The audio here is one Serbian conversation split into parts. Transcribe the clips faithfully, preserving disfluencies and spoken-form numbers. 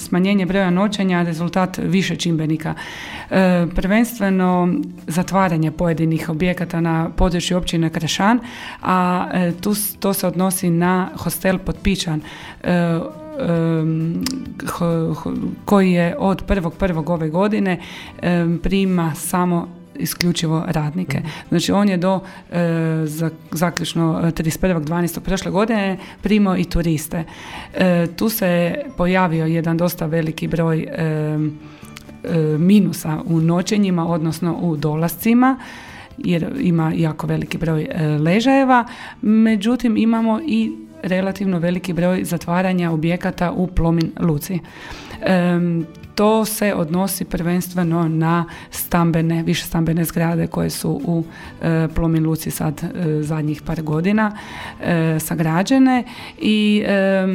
smanjenje broja noćenja rezultat više čimbenika. E, prvenstveno zatvaranje pojedinih objekata na području općine Kršan, a e, tu, to se odnosi na hostel Potpičan, e, koji je od prvog prvog ove godine prima samo isključivo radnike. Znači on je do e, zaključno trideset prvog dvanaestog prošle godine primao i turiste. E, tu se pojavio jedan dosta veliki broj e, e, minusa u noćenjima, odnosno u dolascima, jer ima jako veliki broj e, ležajeva. Međutim, imamo i relativno veliki broj zatvaranja objekata u Plomin luci. E, to se odnosi prvenstveno na stambene, više stambene zgrade koje su u e, Plomin luci sad e, zadnjih par godina e, sagrađene i e,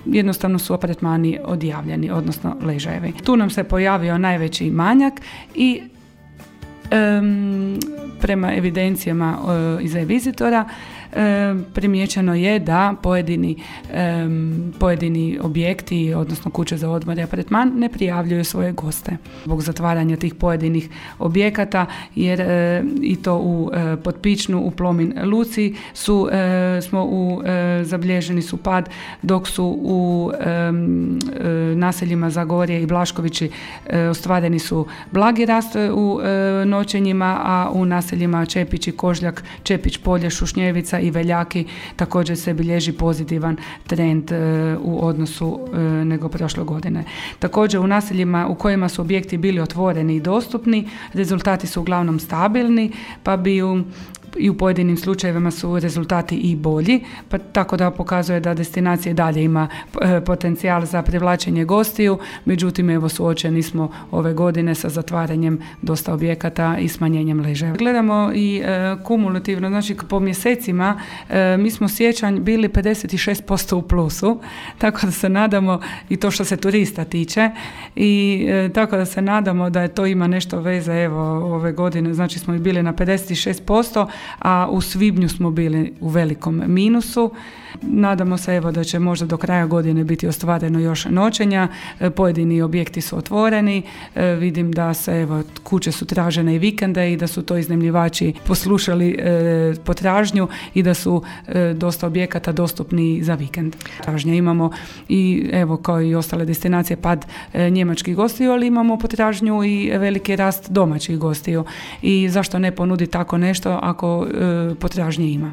jednostavno su apartmani odjavljeni, odnosno ležajevi. Tu nam se pojavio najveći manjak i e, prema evidencijama e, iz e-vizitora E, primijećeno je da pojedini, e, pojedini objekti, odnosno kuće za odmor i apartman, ne prijavljuju svoje goste zbog zatvaranja tih pojedinih objekata, jer e, i to u e, Potpičnu, u Plomin luci su, e, smo u, e, zabilježeni su pad, dok su u e, e, naseljima Zagorje i Blaškovići e, ostvareni su blagi rast u e, noćenjima, a u naseljima Čepić i Kožljak, Čepić polje, Šušnjevica i Veljaki također se bilježi pozitivan trend e, u odnosu e, nego prošle godine. Također u naseljima u kojima su objekti bili otvoreni i dostupni, rezultati su uglavnom stabilni, pa bi u i u pojedinim slučajevima su rezultati i bolji, pa tako da pokazuje da destinacija dalje ima e, potencijal za privlačenje gostiju, međutim evo suočeni smo ove godine sa zatvaranjem dosta objekata i smanjenjem ležajeva. Gledamo i e, kumulativno, znači po mjesecima e, mi smo siječanj bili pedeset šest posto u plusu, tako da se nadamo, i to što se turista tiče, i e, tako da se nadamo da je to ima nešto veze evo ove godine, znači smo i bili na pedeset šest posto, a u svibnju smo bili u velikom minusu. Nadamo se evo da će možda do kraja godine biti ostvareno još noćenja, pojedini objekti su otvoreni, e, vidim da se evo kuće su tražene i vikende i da su to iznajmljivači poslušali e, potražnju i da su e, dosta objekata dostupni za vikend. Tražnja imamo i evo kao i ostale destinacije pad e, njemačkih gostiju, ali imamo potražnju i veliki rast domaćih gostiju i zašto ne ponudi tako nešto ako e, potražnje ima.